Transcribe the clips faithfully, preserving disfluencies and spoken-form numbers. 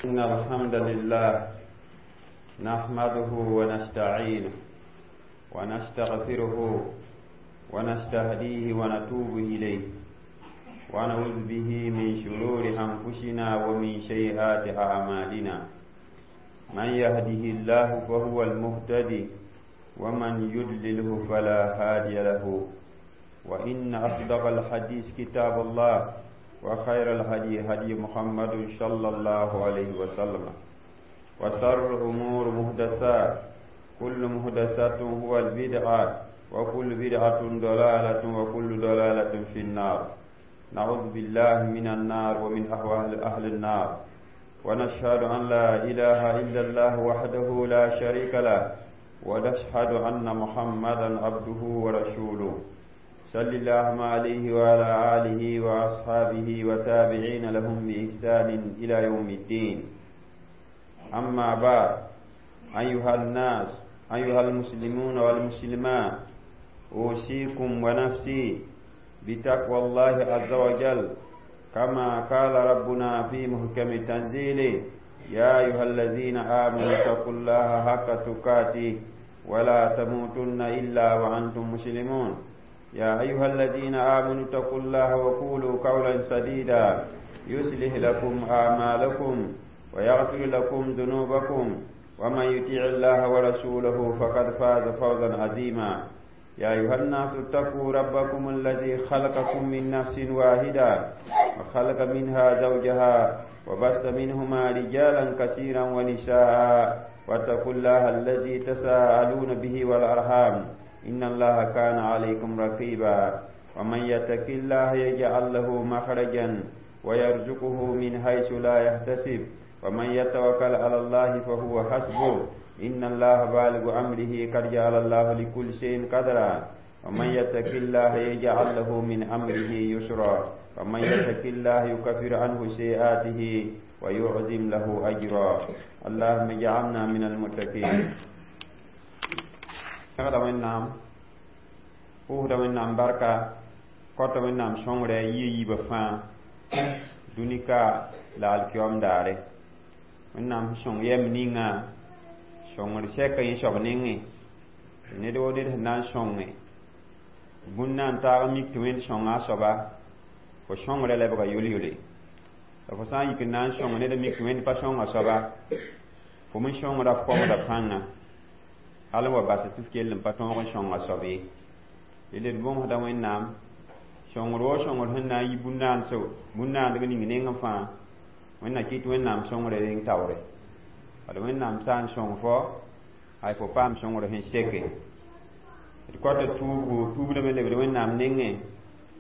إن الحمد لله نحمده ونستعينه ونستغفره ونستهديه ونتوب إليه ونعوذ به من شرور أنفسنا ومن سيئات أعمالنا من يهده الله فهو المهتدي ومن يضلله فلا هادي له وإن أصدق الحديث كتاب الله وخير الهدي هدي محمد صلى الله عليه وسلم وشر الأمور محدثات كل محدثة هو البدعة وكل بدعة ضلالة وكل ضلالة في النار نعوذ بالله من النار ومن أهوال أهل النار ونشهد أن لا إله إلا الله وحده لا شريك له ونشهد أن محمدا عبده ورسوله صلى اللهم عليه وعلى آله وأصحابه وتابعين لهم بإحسان إلى يوم الدين أما بعد أيها الناس أيها المسلمون والمسلمات أوصيكم ونفسي بتقوى الله عز وجل كما قال ربنا في محكم تنزيله يا أيها الذين آمنوا اتقوا الله حق تقاته ولا تموتن إلا وأنتم مسلمون يا أيها الذين آمنوا اتقوا الله وقولوا قولا سديدا يصلح لكم أعمالكم ويغفر لكم ذنوبكم ومن يطيع الله ورسوله فقد فاز فوزا عظيما يا أيها الناس اتقوا ربكم الذي خلقكم من نفس واحدة وخلق منها زوجها وبث منهما رجالا كثيرا ونساء واتقوا الله الذي تساءلون به والأرحام إن الله كان عليكم رقيبا ومن يتق الله يجعل له مخرجا ويرزقه من حيث لا يحتسب ومن يتوكل على الله فهو حسبه إن الله بالغ أمره قد جعل الله لكل شيء قدرا ومن يتق الله يجعل له من أمره يسرا ومن يتق الله يكفر عنه سيئاته ويعظم له أجرا اللهم اجعلنا من المتقين pẽgda wẽnnaam pʋʋsda wẽnnaam barka kõta wẽnnaam sõngrɛ yia yiibã fãa dũni-ka la alkiom daare wẽnnaam sẽn sõng yɛm ninga sõngr sɛka yẽ soab nengẽ tɩ ned woo ned sẽn na n sõnge bũn na n taag n mik tɩ wẽnd sõnga a soaba fo sõngrã lebga yol-yole la fo sã n yik n na n sõng ned n mik tɩ wẽnd pa sõng a soaba fo me sõngrã f kõmda pãnga hal n wa bas tɩ f kell n pa tõog n sõng a soab ye dẽnd d bõmsda wẽnnaam sõngr woo sõngr sẽn na n yi bũn-naandg ning nengẽ fãa wẽnna kɩt wẽnnaam sõngrã reng taoore bala wẽnnaam sã n sõng fo ay fo paam sõngr sẽn seke d kõta tuubgo tuubdame lebd wẽnnaam nengẽ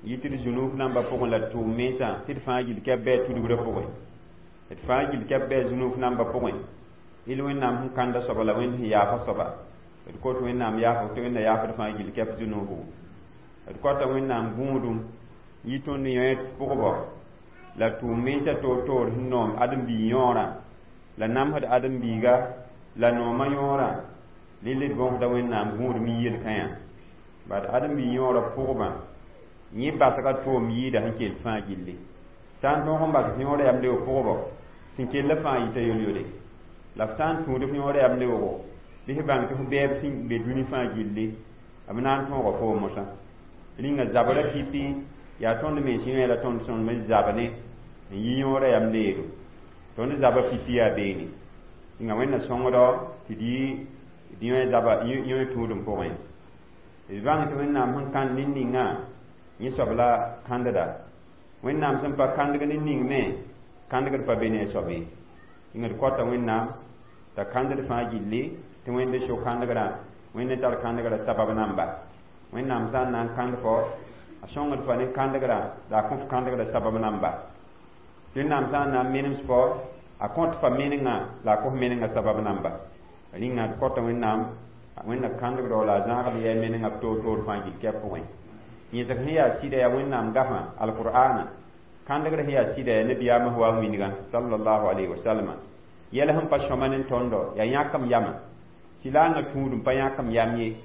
yɩ tɩ d zũnuf nambã pʋgẽ la d tʋʋm mensã tɩ d fãa gill kɛp bɩ a tudgrã pʋgẽ d fãa gill kɛp bɩ a zũnuf nambã pʋgẽ il wẽnnaam sẽn kãnda soaba la wẽnd sẽn yaafa soaba d kot wẽnnaam yaafg tɩ wẽnna yaafd fãa gill kɛp zũnufgo d kõta wẽnnaam gũudum yɩ tõnd yõ pʋgbɔ la tʋʋm mensã toor-toor sẽn noom ãdem-biig yõorã la namsd ãdem-biiga la noomã yõorã rɩl d bõsda wẽnnaam gũudum n yel-kãyã bad ãdem-biig yõorã pʋgbã yẽ basga toom yɩɩda sẽn kell fãa gilli sã n tõog n bas f yõorã yam leoog pʋgbɔ sẽn kellã fãa yita yol-yole la f sã n tũud f yõorã yam leoogo bɩ f bãng tɩ f bɛɛb sẽn be dũni fãa gilli b na n tõoga foom mosã rĩnga zabrã pipi yaa tõnd mens yõ la tõnd sõnd n zab ne n yi yõorã yam leedo tõnd zabã pipi yaa beene rĩnga wẽnna sõngdɔ tɩ d yi d yõ zaba yõ tũudum pʋgẽ d bãng tɩ wẽnnaam sẽn kãnd nin-ningã yẽ soab la kãndda wẽnnaam sẽn pa kãndg nin-ning me kãndgd pa be ne a soab ye rĩnga d kõta wẽnnaam t'a kãndd fãa gilli tɩ wẽnd so kãndgrã wẽnd n tar kãndgrã sabab namba wẽnnaam sã n na n kãnd fo a sõngd fa ne kãndgrã la a kõ f kãndgrã sabab namba wẽnnaam sã n na n menems fo a kõt fa menengã la a kõ f menengã sabab namba rĩnga d kõta wẽnnaam wẽnna kãndgdao la a zãagd yɛ menengã b toor-toor fãa gill kɛp pʋgẽ yẽsg sẽn yaa sɩda yaa wẽnnaam gafã alqur'ana kãndgr sẽn yaa sɩda yaa nabiyaamã wa wĩnigã sallallahu alayhi wa sallama yɛl sẽn pa sõma ne tõndo yaa yãkm yamã sɩlaangã tũudum pa yãkm yam ye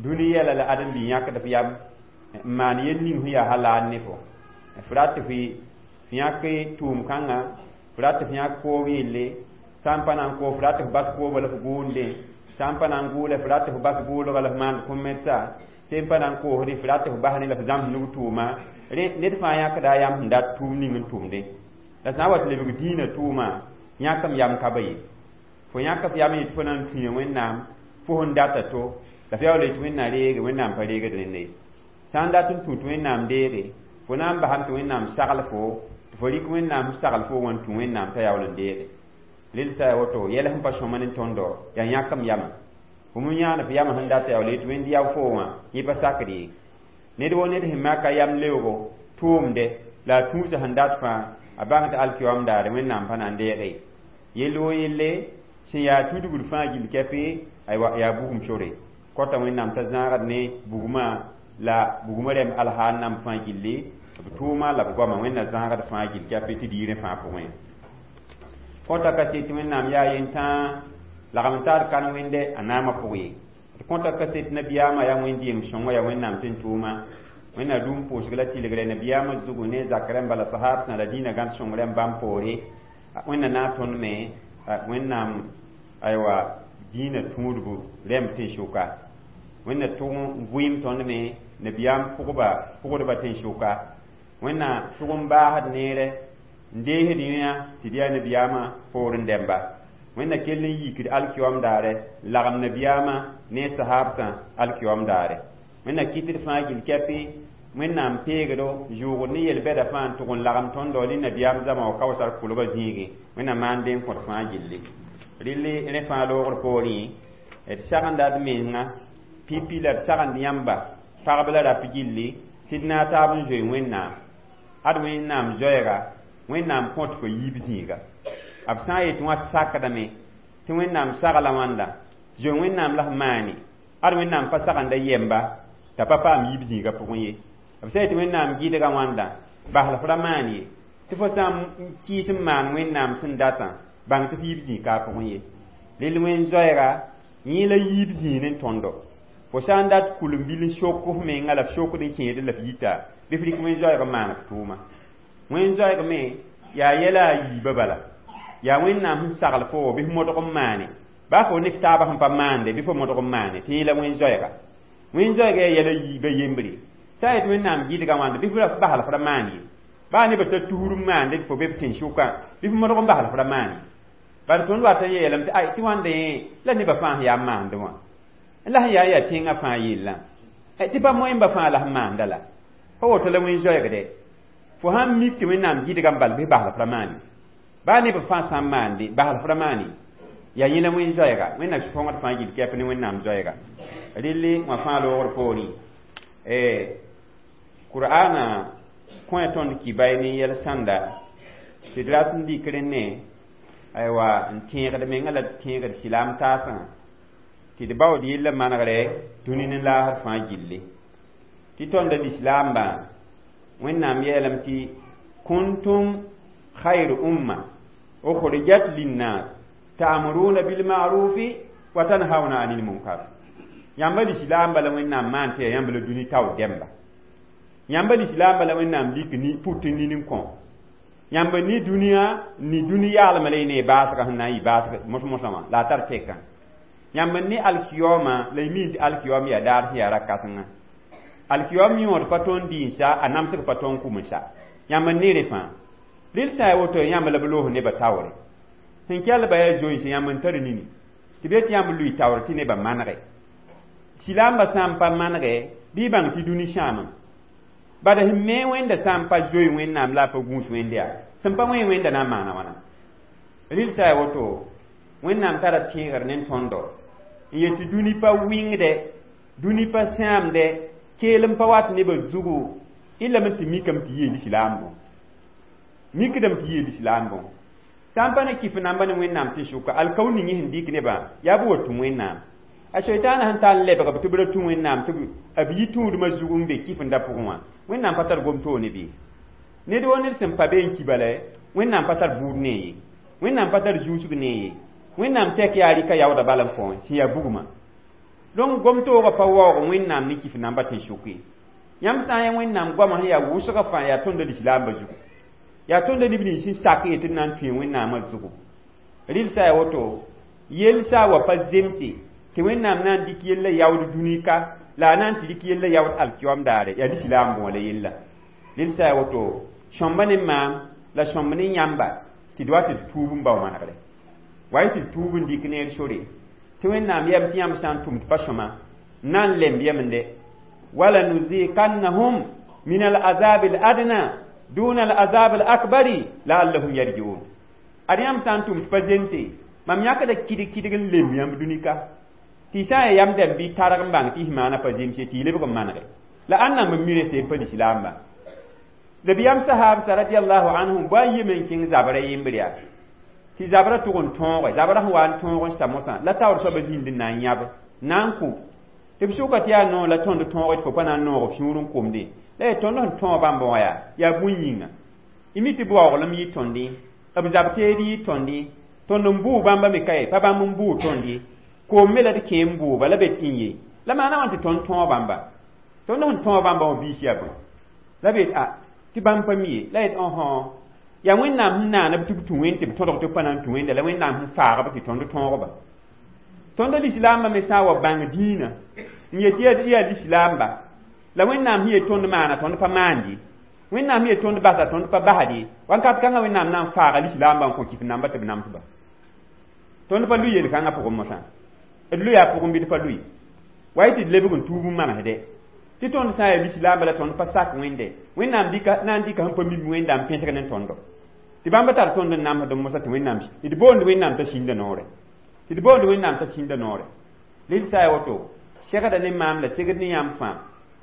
dũni yɛla la ãdem-bi yãkd f yam n maan yel ning sẽn yaa halaal ne fo f rat tɩ f yãk tʋʋm kãngã f F rat tɩ f yãk koob yelle, sã n pa na n koo, f rat tɩ f bas koobã la f gʋʋndẽ, sã n pa na n gʋʋle, f rat tɩ f bas gʋʋlga la f maand kõ-medsa, sẽn pa na n koosdẽ, f rat tɩ f bas ne la f zãms nug tʋʋma. Rẽ ned fãa yãkda a yam sẽn dat tʋʋm ning n tʋmdẽ. La sã n wa tɩ lebg dĩinã tʋʋma, yãk m yam ka ba ye. Fo yãk f yam n yetɩ fo na n tũu Wẽnnaam, fo sẽn data to, la f yaool yetɩ Wẽnnaam reege, Wẽnnaam pa reegd rẽnd ye. Sã n dat n tũ tɩ Wẽnnaam deege, fo na n basame tɩ Wẽnnaam sagl fo, tɩ fo rɩk Wẽnnaam sẽn sagl fo wã n tũ Wẽnnaam t'a yaool n deege. Rel sã ya woto, yɛl sẽn pa sõma ne tõndo, yaa yãk m yamã. Bũmb n yãan f yamã sẽn data yaool yetɩ Wẽnd yao fo wã, yẽ pa sakd ye. Ned wo ned sẽn maka yam leoogo tʋʋmde la a tũusa sẽn dat fãa, a bãng tɩ alkiyoam daare Wẽnnaam pa na n deege ye. Yell wo yelle sẽn yaa tudgd fãa gill kɛpɩ, aywa, yaa bugum sore. Kõta Wẽnnaam t'a zãagd ne bugmã la bugmã rɛm alhaal namb fãa gilli, b tʋʋma la b goama, Wẽnna zãagd fãa gill kɛpɩ tɩ diirẽ fãa pʋgẽ. Kõta kaset tɩ Wẽnnaam yaa yentãa lagm n taar kan wẽnde a naamã pʋg ye. Tɩ kõta kaset nabiyaamã yaa wẽnd-dɩem sõngã, yaa Wẽnnaam tɩ n tʋʋma. Wẽnna rũm pʋʋsg la tɩlgrã nabiyaamã zugu ne zak rãmba la sahaabsã la dĩinã gãd sõng rãmb bãmb poore. Wẽnna na n tõnd me Wẽnnaam aywa dĩinã tũudbu rẽmb tẽn-sʋka. Wẽnna tʋg n vɩɩm tõnd me nabiyaam pʋgba pʋgdba tẽn-sʋka. Wẽnna tʋg n baasd neere n deesd yẽa tɩ d yaa nabiyaamã poorẽ dɛmba. Wẽnna kell n yikd alkiyoam daare n lagem nabiyaamã ne sahaabsã alkiyoam daare. Wẽnna kɩtd fãa gill kɛpɩ, Wẽnnaam peegdo zʋʋgd ne yel-bɛda fãa n tʋg n lagem tõndo ne nabiyaam zãma wa kaoosar kʋlgã zĩigẽ. Wẽnna maan deen kõt fãa gilli. Rɩlli rẽ fãa loogr poorẽ, d sagenda d menga pipi la d sagend yãmba pagb la rap gilli tɩ d naag taab n zoe Wẽnnaam. Ad Wẽnnaam zoɛɛga, Wẽnnaam kõt fo yiib zĩiga. B sã n yetɩ wã sakdame tɩ Wẽnnaam sagla wãnda, zoe Wẽnnaam la f maane, ad Wẽnnaam pa sagenda yɛmba t'a pa paam yiib zĩiga pʋgẽ ye. B sã yetɩ Wẽnnaam gɩdga wãnda, bas la f ra maan ye, tɩ fo sã n kɩɩs n maan Wẽnnaam sẽn datã, bãng tɩ f yiib zĩig ka a pʋgẽ ye. Rel wẽn zoɛɛga, yẽ la yiib zĩig ne tõndo. Fo sã n dat kul-n-bil n sok f menga la f sokd n kẽed la f yita, bɩ f rɩk wẽn zoɛɛg n maan f tʋʋma. Wẽn zoɛɛg me yaa yɛla a yiibã bala. Yaa Wẽnnaam sẽn sagl fo bɩ f modg n maane. Baa fo ne f taabã sẽn pa maande, bɩ fo modg n maane, tɩ yẽ la wẽn zoɛɛga. Wẽn zoɛɛga yaa yɛla yiibã yembre. Sã n yetɩ Wẽnnaam gɩdga wãnda, bɩ f bas la f ra maan ye. Baa nebã t'a tusr n maande tɩ fo be b tẽn-sʋkã, bɩ f modg n bas la f ra maan ye. Bala tõnd wat n yeelame tɩ ay tɩ wãnda yẽ la nebã fãa sẽn yaa n maande wã. La sẽn yaa yaa tẽngã fãa yellã. Tɩ pa moẽmba fãa la sẽn maanda la. Pa woto la wẽn zoɛɛgde. Fo sãn mik tɩ Wẽnnaam gɩdgã n bal bɩ bas la f ra maan ye. Baa nebã fãa sã n maande, bas la f ra maan ye. Yaa yẽ la wẽn zoɛɛga. Wẽnnaam sõngd fãa gill kɛp ne Wẽnnaam zoɛɛga. Relle wã fãa loogr poorẽ. Qur'ana kõ tõnd kibay ne yɛl sãnda tɩ d rat n dɩk rẽnne, aywa, n tẽegd menga la d tẽegd silaam taasã tɩ d baood yella manegre dũni ne laasr fãa gilli. Tɩ tõnda lislaambã, Wẽnnaam yeelame tɩ kuntum khayr umma ukhrijat linnas ta'muruna bil ma'rufi wa tanhauna 'anil munkar. Yãmba lislaambã la Wẽnnaam maan tɩ yaa yãmb la dũni taoor dɛmba. Yãmba lislaambã la Wẽnnaam lik ni put n nin n kõ. Yãmba ni dũniyã ni dũni yaalmã la y ne baasgã sẽn na n yɩ baasg mos-mosã wã la a tar tekã. Yãmb ne alkiyoomã la y miin tɩ alkiyoom yaa daar sẽn yaa ra-kãsengã. Alkiyoom yõod pa tõnd dĩinsa, a namsg pa tõnd kʋmsa. Yãmb n ne rẽ fãa. Rel sã n yaa woto, yãmb la b loos nebã taoore. Sẽn kell ba yaa zoense, yãmb n tar nini. Tɩ b yetɩ yãmb lʋɩ taoor tɩ nebã manege. Silaambã sã n pa manege, bɩ y bãng tɩ dũni sãamame. Bala sẽn me Wẽnda sã n pa zoe Wẽnnaam la a pa gũus Wẽnd yaa, sẽn pa wẽ Wẽnda na n maana wãna. Rel sã n yaa woto, Wẽnnaam tara tẽegr ne tõndo n yet tɩ dũni pa wɩngdɛ, dũni pa sãamdɛ, keel n pa wat nebã zugu, y lame tɩ mikame tɩ yeel lislaambõ. Mikdame tɩ yeel lislaambõ. Sã n pa ne kɩf namba ne Wẽnnaam tɩ sʋka, alkao ning sẽn dɩk nebã yaa b wa tũ Wẽnnaam. A soitaana sẽn tar n lebg b tɩ b ra tũ Wẽnnaam tɩ b yi tũudmã zug n be kɩf-n-da pʋgẽ wã, Wẽnnaam pa tar gom toog ne bɩ. Ned wo ned sẽn pa be n ki bala, Wẽnnaam pa tar buud ne ye. Wẽnnaam pa tar zuusg ne ye. Wẽnnaam tɛk yaa rɩka yaooda bal n kõ sẽn yaa bugmã. Donc gom toogã pa waoog Wẽnnaam ne kɩf namba tẽn-sʋk ye. Yãmb sã n yaa Wẽnnaam goamã sẽn yaa wʋsgã fãa yaa tõnda lislaambã zugu. Yaa tõnd neb nins sẽn sak yetɩ d na n tũe Wẽnnaamã zugu. Rɩlsa yaa woto, yell sã wa pa zemse tɩ Wẽnnaam na n dɩk yella yaood dũni ka la a na n tɩ dɩk yella yaood alkiyom daare, yaa lislaam bõo la yella. Rɩlsa yaa woto, sõmba ne maam la sõmb ne yãmba tɩ d wa tɩ d tuub n bao manegre. Wa y tɩ d tuub n dɩk neer sore tɩ Wẽnnaam yɛm tɩ yãmb sã n tʋm tɩ pa sõma n na n lemb yemende. Wala nuziqannahum min al-azab al-adna duna al-azab al-akbari la'allahum yarji'un. Ad yãmb sã n tʋm tɩ pa zemse, mam yãkda kɩdg kɩdg n lemb yãmb dũni-ka tɩ sã n yaa yam dɛm bɩ targ n bãng tɩ y maana pa zemse tɩ y lebg n manege la ãnna n mi rese n pa lislaamba. La bɩ yãmb sahaabsa radiallahu anhum bõa n yeme n kẽng zabrã yembre yaa tɩ zabrã tʋg n tõoge, zabrã sẽn wa n tõog n sa mosã la taoor soabã zĩnd n na n yãb na n kʋ tɩ b sʋka tɩ yaa noor la tõnd tõoge tɩ fo pa na n noog b sũur n komde la yaa tõnd sẽn tõog bãmb wã yaa yaa bũn yĩnga y mi tɩ baooglem yɩ tõnd b zab teed yɩ tõnd tõnd n bʋʋ bãmba me ka ye pa bãmb n bʋʋ tõnd ye koom me la d kẽ n bʋʋba la be tɩ n ye la maana wãn tɩ tõnd tõog bãmba tõnd sẽn tõog bãmba wã biis yaa bõe la be a tɩ bãmb pa mi ye la yet õsõ yaa Wẽnnaam sẽn naana b tɩ b tũ wẽnd tɩ b tõdg tɩ b pa na n tũ wẽnda la Wẽnnaam sẽn faag b tɩ tõnd tõogba. Tõnd lislaambã me sã n wa bãng dĩinã n yet tɩ yaa lislaamba la Wẽnnaam sẽn yet tõnd maana tõnd pa maand ye, Wẽnnaam sẽn yet tõnd basa tõnd pa basd ye, wãnkat kãngã Wẽnnaam na n faaga lislaambã n kõ kɩf namba tɩ b namsba. Tõnd pa lʋ yel-kãngã pʋgẽ mosã, d lʋ yaa pʋgẽ bɩ d pa lʋɩ wa y tɩ d lebg n tuub n manesde tɩ tõnd sã n yaa lislaamba la tõnd pa sak Wẽnde Wẽnnaam dɩka na n dɩka sẽn pa mim Wẽnda n pẽsg ne tõndo tɩ bãmb tar tõnd n namsd mosã tɩ Wẽnnaam d boond Wẽnnaam t'a sĩnda noore tɩ d boond Wẽnnaam t'a sĩnda noore. Rɩl sã yaa woto, segda ne maam la segd ne yãmb fãa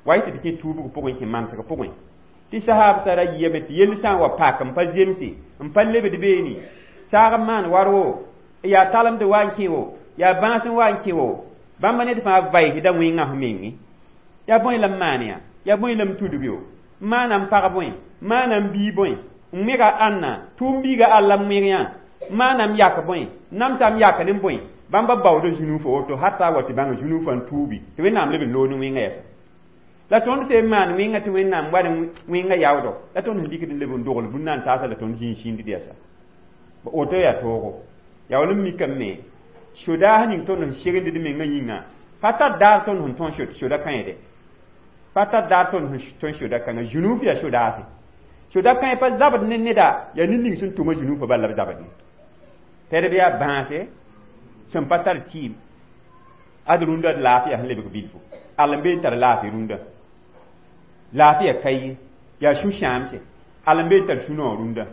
wa y tɩ d kẽ tuubg pʋgẽ kẽ mansg pʋgẽ tɩ sahaabsã ra yɩame tɩ yell sã n wa pak n pa zemse n pa lebd beene saag n maan war wo yaa talemd wa n kẽ wo yaa bãas n wa n kẽ wo bãmba ned fãa vaɩsda wẽngã f menge yaa bõe la m maan yaa yaa bõe la m tudg yo n maana n pag bõe n maana n bii bõe n wẽga ãnna tʋʋm biiga alla n wẽg yã n maana m yak bõe namsa m yak ne bõe bãmba baooda zũnuufã woto hata wa tɩ bãng zũnuufã n tuubi tɩ Wẽnnaam leb n loog ne wẽngã yɛsa la tõnd sẽn maan wẽngã tɩ Wẽnnaam wa ne wẽngã yaoodo la tõnd sẽn dɩkd n leb n dogl bũn na n taasa la tõnd zĩig sĩndd yɛsa woto yaa toogo yaa wall n mikame sodaas ning tõnd sẽn segend d mengã yĩnga pa tar daar tõnd sẽn tõn soda kãede pa tar daar tõnd sẽn tõn soda kãngã zũnuuf yaa sodaase soda kãe pa zabd ne neda yaa ned ning sẽn tʋma zũnuufã bal la b zabd ne tɛdb yaa bãase sẽn pa tar tɩɩm ad rũndã d laafɩya sẽn lebg bilfu all n be n tar laafɩ rũndã laafɩya ka ye yaa sũ-sãamse all n be n tar sũ-noog rũndã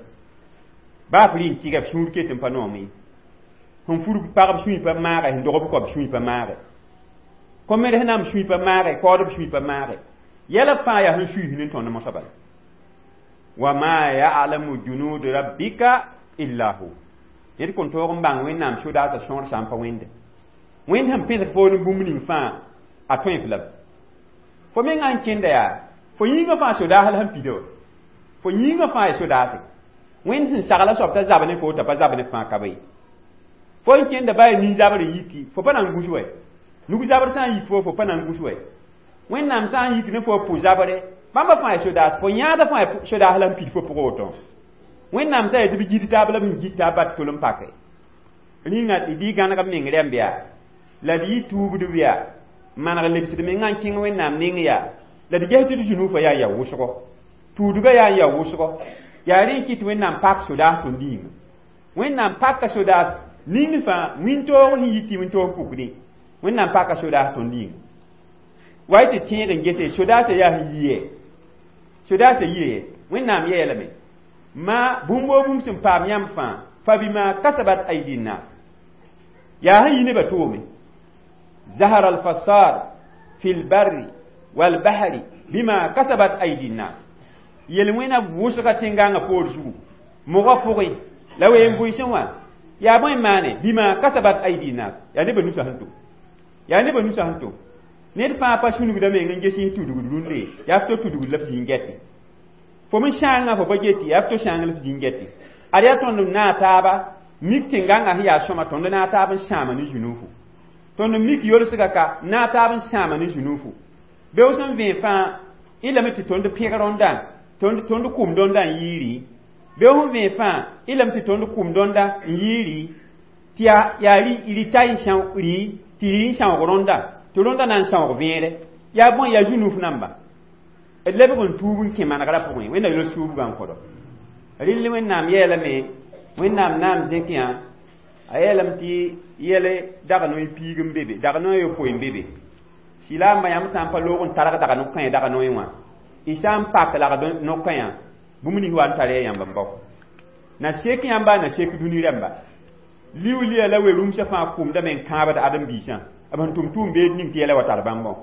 baa f rɩ n tɩga f sũur ket n pa noom ye sẽn fur pagb sũy pa maage sẽn dog b koab sũy pa maage kom sẽn nam sũy pa maage kaoodb sũy pa maage yɛla fãa yaa sẽn suiis ne tõnd mosã bala wa ma ya'lamu junud rabbika illa hu ned kõn toog n bãng Wẽnnaam sodaasã sõor sã n pa wẽnde Wẽnd sẽn pẽsg foor n bũmb ning fãa a tõe f lame fo mengã n kẽnda yaa fo yĩngã fãa sodaas la sẽn pida wa fo yĩngã fãa yaa sodaase Wẽnd sẽn sagla soab t'a zab ne fo t'a pa zab ne fãa ka be fo n kẽnda baa yaa nin-zabr n yiki fo pa na n gus wɛ nug zabr sã n yik fo fo pa na n gus wɛ Wẽnnaam sã n yik ne fo pʋ zabre bãmba fãa yaa sodaas fo yãada fãa yaa sodaas la n pid fo pʋgẽ woto Wẽnnaam sã yaa tɩ b gid taab la b sẽn gid taab bat tol n pake rĩnga d yɩ gãneg b meng rẽmb yaa la d yɩ tuubdb yaa maneg lebsd mengã n kẽng Wẽnnaam neng yaa la d ges tɩ d zũnuufã yaa n yaa wʋsgo tuudgã yaa n yaa wʋsgo yaa rẽ n kɩt Wẽnnaam pak sodaas tõnd yĩnga Wẽnnaam paka sodaas ning fãa wĩntoog sẽn yi tɩ wĩntoog pukdẽ Wẽnnaam paka sodaas tõnd yĩnga wa y tɩ tẽeg n gese sodaasã yaa sẽn yie sodaasã yie Wẽnnaam yeelame ma bũmb woo bũmb sẽn paam yãmb fãa fa bima kasabat aidi nnas yaa sẽn yi nebã toome zahara alfasad fi lbarri walbahri bima kasabat aidi nnas yel-wẽna wʋsga tẽngãngã poor zugu mogã pʋgẽ la ween bʋɩsẽ wã yaa bõe maane bima kasabat aidi nnas yaa nebã nusã sẽn tʋm yaa nebã nusã sẽn tʋm ned fãa pa sũnugda meng n ges tudgd rũndẽ yaa f to tudgd la f zĩig gɛtɩ fo me sãangã fo pa geti yaa f to sãang la f zĩig gɛtɩ ad yaa tõnd n naag taaba mik tẽngãngã sẽn yaa sõma tõnd naag taab n sãama ne zũnuufu tõnd mik yolsga ka naag taab n sãama ne zũnuufu beoos n vẽ fãa y lame tɩ tõnd pẽg rõndã tõnd tõnd kʋm rõndã n yiiri Bɩ fõn vẽe fãa y lame tɩ tõnd kʋm dõnda n yɩɩ rɩ tɩ yaa yaa rɩ ta n sãoog rɩ tɩ rɩ n sãoog rõnda tɩ rõnda na n sãoog vẽere yaa bõe yaa zu-nuf namba d lebg n tuub n kẽ manegrã pʋgẽ wẽnna yols tuubgã n kõdo rɩll wẽnnaam yeelame wẽnnaam naam zẽk yã a yeelame tɩ yɛl dag noy piig n be be dag noy yopoe n be be sɩlaamba yãmb sã n pa loog n targ dag no-kãe dag noy wã y sã n pak lagd no-kãyã bũmb nins wa n tar ya yãmb n bao na sek yãmba na sek dũni rãmba liulia la we-rũmsã fãa kʋmdame n kãabd ãdem-biisã b sẽn tʋm tʋʋm beed ning tɩ yɛla wa tar bãmbõ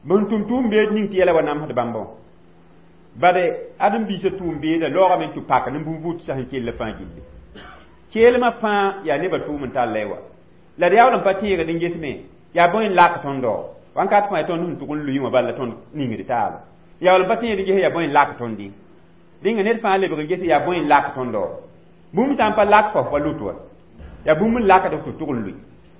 b sẽn tʋm tʋʋm beed ning tɩ yɛla wa namsd bãmbõ bade ãdem-biisã tʋʋm beeda laoogame n tɩ pak ne bũn-vʋʋtsã sẽn kell fãa gilli keelmã fãa yaa nebã tʋʋm n tall la wa la d yaool n pa tẽegd n gesme yaa bõe n lak tõndo wãnkat fãa tõnd sẽn tʋg n lʋɩ wã bala la tõnd ningd taaba yaool n pa tẽegd n ges yaa bõe n lak tõndi rĩnga ned fãa lebg n ges yaa bõe n lak tõndo bũmb sã n pa lak fo pa lut wa yaa bũmb n lakd f tɩ tʋg n lʋɩ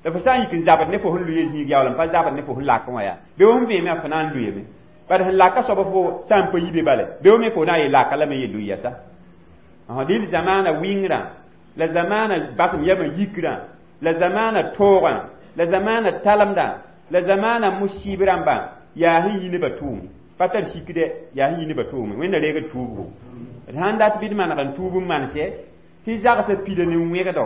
la fo sã n yik n zabd ne fo sẽn lʋɩ zĩig yaool n pa zabd ne fo sẽn lak wã yaa be fõn vẽeme fo na n lʋɩame bad sẽn laka soab fo sã n pa yi be bale be me fo na n yel laka lame yel lʋɩ yasa dɩl zamaana wɩngrã la zamaana basem yamã yikrã la zamaana toogã la zamaana talemdã la zamaana musib rãmbã yaa sẽn yi nebã tʋʋme pa tar sikdɛ yaa sẽn yi nebã tʋʋme wẽnna reegd tuubgo d sãn dat bɩ d maneg n tuub n manse tɩ zagsã pida ne wẽgdo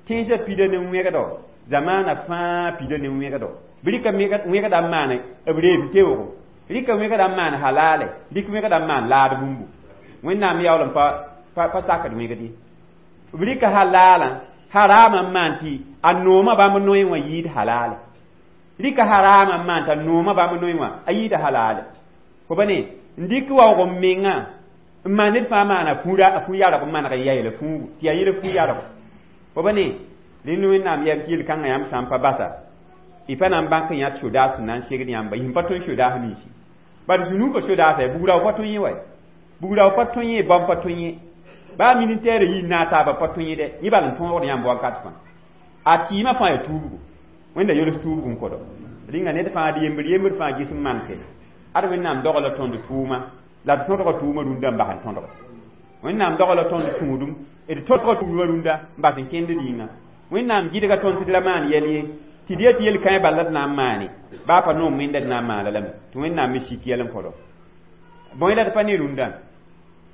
tẽnsã pida ne wẽgdo zamaana fãa pida ne wẽgdo bɩ rɩka wẽgda n maan b reeb teoogo rɩka wẽgda n maan halaale rɩk wẽgda n maan laad bũmbu wẽnnaam yaool n pa pa sakd wẽgd ye b rɩka halaalã haraamã n maan tɩ a noomã bãmb noe wã yɩɩd halaale rɩka haraamã n maan t'a noomã bãmb noe wã a yɩɩda halaale fo ba ne n dɩk waoog n mengã n maan ned fãa maana a fũ-yarg n maneg n yaeela fũugu tɩ yaa yẽla fũ-yargo fo ba ne rẽnd wẽnnaam yɛm tɩ yel-kãngã yãmb sã n pa basa y pa na n bãk n yãt sodaas sẽn na n segd yãmba y sẽn pa tõe sodaas ninsi bad zũnuugã sodaasa ya bugrao pa tõe yẽ wa bugrao pa tõe yẽ bãmb pa tõe yẽ baa ministɛɛr yi n naag taaba pa tõe yẽ dɛ yẽ bal n tõogd yãmb wakat fãa a tɩɩmã fãa yaa tuubgo wẽnda yols tuubg n kõdo rĩnga ned fãa d yembr yembr fãa ges n manse ad wẽnnaam dogla tõnd tʋʋma la d tõdga tʋʋma rũndã n bas n tõdge wẽnnaam dogla tõnd tũudum d tõdga tʋʋma rũndã n bas n kẽnd yĩnga wẽnnaam gɩdga tõnd tɩ d ra maan yɛl ye tɩ d yetɩ yel-kãe bala d na n maane baa pa noom wẽnda d na n maana lame tɩ wẽnnaam me sik yɛl n kõdo bõe la d pa ne rũndã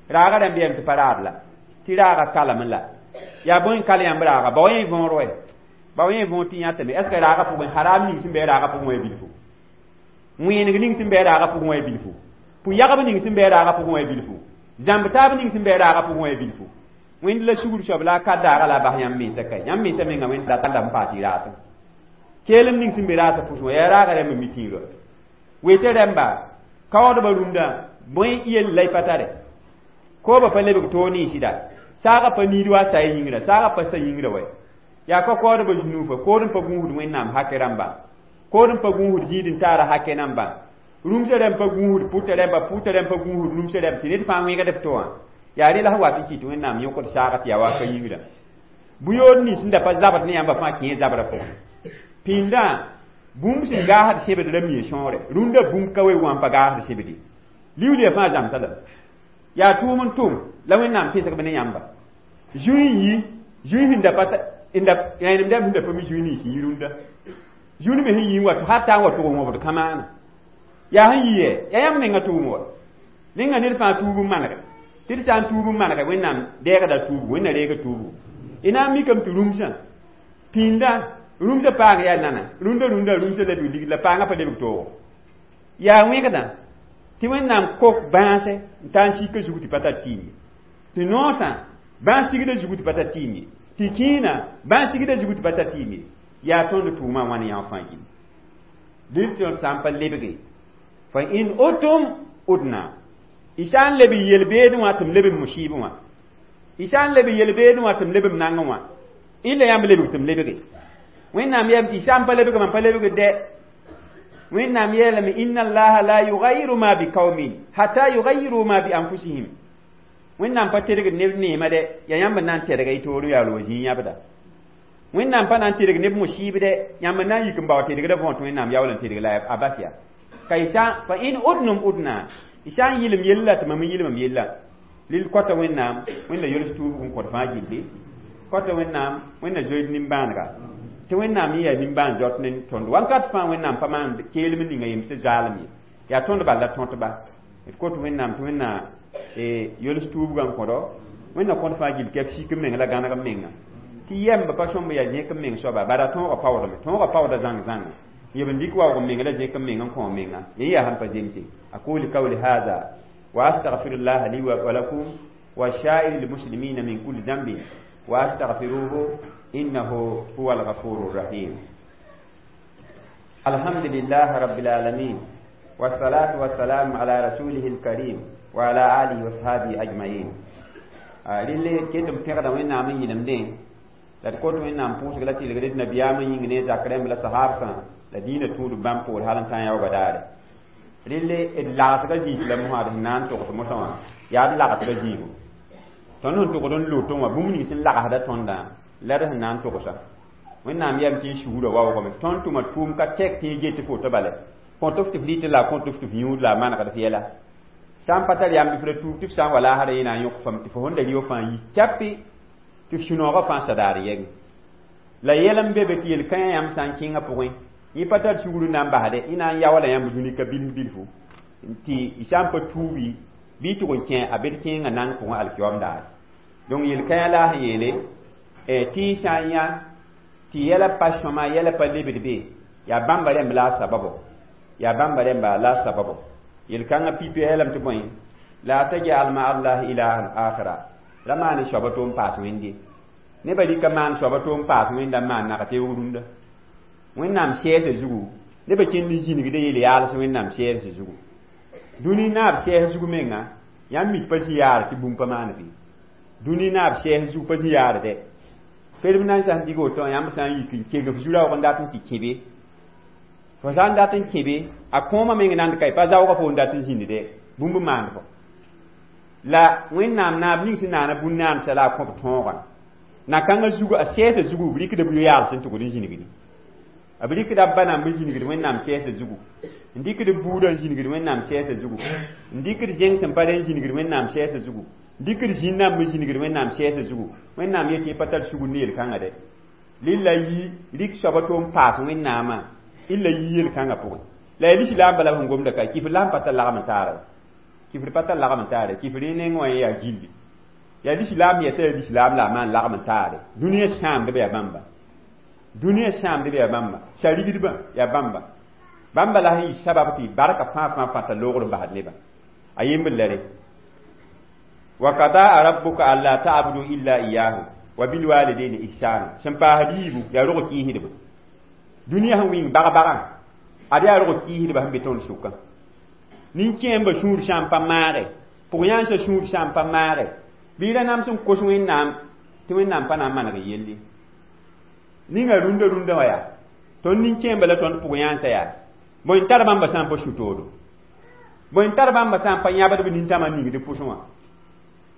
raaga rãmb yɛm tɩ pa raad la tɩ raaga kalame la yaa bõe n kal yãmb raaga bao yẽ võor wɛ bao yẽ võor tɩ yãtame est ce que raaga pʋgẽ haram ning sẽn bɩ raaga pʋgẽ wa bilfu wẽeneg ning sẽn bɩ raaga pʋgẽ wa bilfu pʋ-yagb ning sẽn bɩ raaga pʋgẽ wa bilfu zãmb taab ning sẽn bɩ raaga pʋgẽ wa bilfu wẽnd la sugr soab la a ka daaga la a bas yãmb mensã ka yãmb mensã menga wẽnd dat n paas y raatẽ keelem ning sẽn be raatã pʋsẽ wã yaa raaga rãmb mi tĩirã weta rãmba kaoodbã rũndã bõe yell la y pa tare kooba pa lebg toog ninsda saagã pa niid wa a sa yĩngrã saagã pa sa yĩngrã wɛ yaa ka kaoodbã zũnuufa kood n pa gũusd wẽnnaam hakɛ rãmbã kood n pa gũusd zĩid n taara hakɛ nambã rũmsã rãmb pa gũusd pʋtã rãmba pʋtã rãmb pa gũusd rũmsã rãmb tɩ ned fãa wẽgd f to wã yaa rẽ la sẽn wat n kɩt wẽnnaam yõkd saagã tɩ yaa wa ka yĩngrã bʋ-yood nins sẽn da pa zabd ne yãmba fãa kẽ zabrã pʋgẽ pĩndã bũmb sẽn gaasd sẽbd ra mie sõore rũndã bũmb ka we wã n pa gaasd sẽbd ye liuudã fãa zãmsa lame yaa tʋʋm n tʋm la wẽnnaam pẽsgb ne yãmba zũi n yi zũi sẽn da pa n da rẽnem dãmb sẽn da pa mi zũi nins n yi rũndã zũni me sẽn yi n wa hatta n wa tʋg n wõbd kamaana yaa sẽn yi yɛ yaa yãmb menga tʋʋm wa rẽnga ned fãa tuub n manege tɩ d sã n tuub n manege wẽnnaam dɛɛgda tuubgu wẽnna reega tuubgu y na n mikame tɩ rũmsã pĩndã rũmsã paang yaa nana rũndã rũndã rũmsã lebg ligd la paangã pa lebg toogo yaa wẽgdã tɩ wẽnnaam kok bãase n taa n sika zug tɩ pa tar tɩɩm ye tɩ noosã bãas sigda zugu tɩ pa tar tɩɩm ye tɩ kẽena bãas sigda zugu tɩ pa tar tɩɩm ye yaa tõnd tʋʋmã wãn yã fãa gil dɩl tõnd sã n pa lebge fa in utum udna y sã n leb yel-beedẽ wã tɩ m leb m musibẽ wã y sã n leb yel-beedẽ wã tɩ m leb m nangẽ wã y la yãmb lebg tɩ m lebge wẽnnaam yeelame tɩ y sã n pa lebg mam pa lebg dɛ wẽnnaam yeelame inna allaha la yugayiru ma biqaumin hatta yugayiru ma bi anfusihim wẽnnaam pa tedgd neb neema dɛ yaa yãmb n na n tɛdga y toor yaool wa zĩig yãbda wẽnnaam pa na n tedg neb musib dɛ yãmb n na n yik n bao tedgda võor tɩ wẽnnaam yaool n tedg la a bas yaa ka y sã fa in udnum udna y sã n yɩlem yella tɩ mam n yɩlem m yella Lil kota Wẽnnaam, Wẽnna yols tuubg n kõt fãa gilli. Kota Wẽnnaam, Wẽnna zoeed nimbãanega. Tɩ Wẽnnaam yẽ yaa nimbãan zot ne tõnd. Wakat fãa Wẽnnaam pa maan keelem ninga yem sẽn zaalem ye. Yaa tõnd bal la tõtba. D kot Wẽnnaam tɩ Wẽnna yols tuubgã n kõdo. Wẽnna kõt fãa gill kɛp sik n meng la gãneg n menga. Tɩ yɛmb pa sõmb yaa zẽk n meng soaba, bara tõogã paoodame. Tõogã paooda zãng zãnga. Yeb n dɩk waoog n meng la zẽk n meng n kõ menga. Yẽ yaa sẽn pa zemse. أقول قولي هذا وأستغفر الله لي ولكم وسائر المسلمين من كل ذنب وأستغفروه إنه هو الغفور الرحيم. الحمد لله رب العالمين، والصلاة والسلام على رسوله الكريم وعلى آله وصحبه أجمعين. Rɩle ket m pẽgda Wẽnnaam n yĩlemdẽ la d kot Wẽnnaam pʋʋsg la tɩlgd d nabiyaam n yĩng ne zak rẽmb la sahaabsã la dĩinã tũud bãmb poor hal n tã yaoogã daare. Rɩle d lagsga zĩis la mosã d sẽn na n togs mosã wã yaa d lagsga zĩigo. Tõnd sẽn togd n lotẽ wã bũmb ning sẽn lagsda tõndã la d sẽn na n togsa. Wẽnnaam yam tɩ y sugurã waoogame. Tõnd tʋma tʋʋm ka tɛk tɩ y get tɩ foto bale. Kõt f tɩ f rɩtɩ la kõt f tɩ f yũud la a manegd f yɛla. Sã n pa tar yãmb f ra tuub tɩ f sã n wa laasra yẽ na n yõk fam tɩ fo sẽn da rɩ fãa yi capi tɩ f sũ-noogã fãa sadaar yɛgẽ. La yɛl n be be tɩ yel-kãyã yãmb sã n kẽngã pʋgẽ yẽ pa tar sugr n na n basde yẽ na n yaoola yãmb dũni ka bilf bilfu tɩ y sã n pa tuubi bɩ y tʋg n kẽ a bed kẽengã nang pʋgẽ alkiyoom daare. Donc yel-kãyã la a sẽn yeele tɩ y sã n yã tɩ yɛla pa sõma yɛla pa lebd be yaa bãmba rẽmb la a sababo, yaa bãmba rẽmba la a sababo. Yel-kãngã pipi yeelame tɩ bõe la tajal ma Allah ilahan akhara ra maan soaba to n paas Wẽnde. Nebã rɩka maan soaba to n paas Wẽnda n maan nag-teoog rũndã. Wẽnnaam sɛɛsã zugu nebã kẽnd n zĩnigda yel-yaals Wẽnnaam sɛɛsã zugu. Dũni naab sɛɛs zugu menga yãmb mik pa zĩ yaar tɩ bũmb pa maan bɩ. Dũni naab sɛɛs zugu pa zĩ yaar dɛ. Perem na n sã n dig woto yãmb sã n yik n keng f zu-raoog n dat n tɩ kẽbe. Fo sã n dat n kẽbe a kõomã meng nand ka pa zaoogã fo n dat n zĩnd dɛ bũmb maand fo. La Wẽnnaam naab ning sẽn naana bũn-naandsã la a kõb tõogã. Na-kãngã zugu a sɛɛsã zugu b rɩkda b yo-yaals n tʋgd n zĩnigdi. B rɩkda b ba namb n zĩnigd Wẽnnaam sɛɛsã zugu. N dɩkd buudã n zĩnigd Wẽnnaam sɛɛsã zugu. N dɩkd zẽng sẽn pa rẽ n zĩnigd Wẽnnaam sɛɛsã zugu. N dɩkd zĩn namb n zĩnigd Wẽnnaam sɛɛsã zugu. Wẽnnaam yetɩ yẽ pa tar sugr ne yel-kãngã dɛ. Rɩla yi rɩk soaba to n paas Wẽnnaamã illa yi yel-kãngã pʋgẽ. La yaa lislaam bala sẽn gomda ka kifr la sẽn pa tar lagm n taara. Kifr pa tar lagm n taare. Kifr yẽ neng wã yaa gilli. Yaa lislaam yeta yaa lislaam la a maan lagm n taare. Dũniyã sãamdbã yaa bãmba. Dũniyã sãamdbã yaa bãmba. Sarigdbã yaa bãmba. Bãmba la sẽn yɩ sabab tɩ barka fãa fãa fãa t'a loogr n basd nebã. A yembr la re. Wa qadaa rabbuka alla ta'budu illa iyyahu wa bil walidayni ihsana. Sẽn paasd yiibu yaa rog kɩɩsdbã. Dũniyã sẽn wɩng bag-bagã ad yaa rog kɩɩsdbã sẽn be tõnd sʋkã. Nin-kẽembã sũur sã n pa maage, pʋg-yãnsã sũur sã n pa maage, bɩ ra nams n kos Wẽnnaam tɩ Wẽnnaam pa na n maneg yelle. Ninga rũndã rũndã wã yaa tõnd nin-kẽembã la tõnd pʋg-yãnsã yaa bõe n tar bãmba sã n pa su-toodo, bõe n tar bãmba sã n pa yãbd b nintãmã ningd pʋsẽ wã.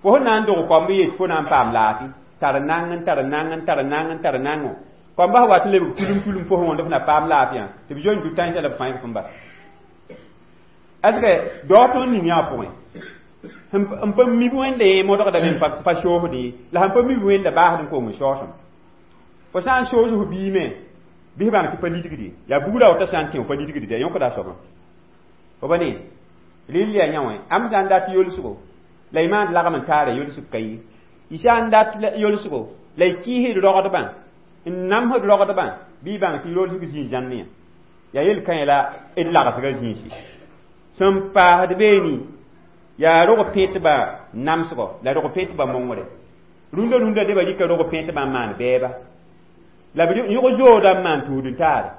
Fo sẽn na n dog koamb yet fo na n paam laafɩ tar nang n tar nang n tar nang n tar nango. Koamba sẽn wat n lebg tulum tulum fo sẽn wõnd f na paam laafɩ tɩ b zoe n du tãensã la b fãig f n bas. Est-ce que dao tõnd ning yã pʋgẽ n pa mib Wẽnda yẽ modgdame n pa soosd la sẽn pa mib Wẽnda baasd n kong n soosem. Fo sã n soos f biime bɩ f bãng tɩ pa lidgd yaa bugrã wota sã n tẽ pa lidgd yaa yõkda a soabã. Fo ba ne rɩl yaa yã wã am sã n dat yolsgo la y maand lagm n taara yolsg ka ye. Y sã n dat yolsgo la y kɩɩsd rogdbã n namsd rogdbã bɩ y bãng tɩ yolsg zĩig zãnn yã. Yaa yel-kãyã la d lagsga zĩisi. Sẽn paasd beene yaa rog pẽtbã namsgɔ la rog pẽtbã mongre. Rũndã rũndã nebã rɩka rog pẽtbã n maan bɛɛba. La b yõg zoodã n maan tũud n taare.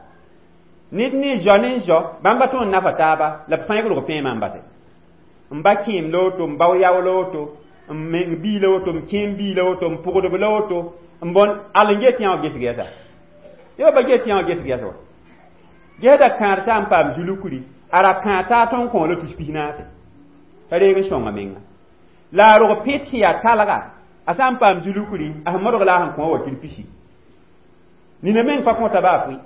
Ned ne zao ne zao bãmba tõnd nafa taaba la b fãig rog pẽemã n base. N ba kẽem la woto, n bao yao la woto, n meng bii la woto, n kẽem bii la woto, n pʋgdb la woto, n bõn al n get yã wã gesg yɛsa. Nebã pa get yã wã gesg yɛsa wa. Gesda kãad sã n paam zulukri a ra kãad taa tõnd kõ la tus pis naase. T'a reeg n sõnga menga. La a rog pẽt sẽn yaa talga a sã n paam zulukri a sẽn modg la a sẽn kõ wa kil pisi. Nina meng pa kõta baa pʋɩ.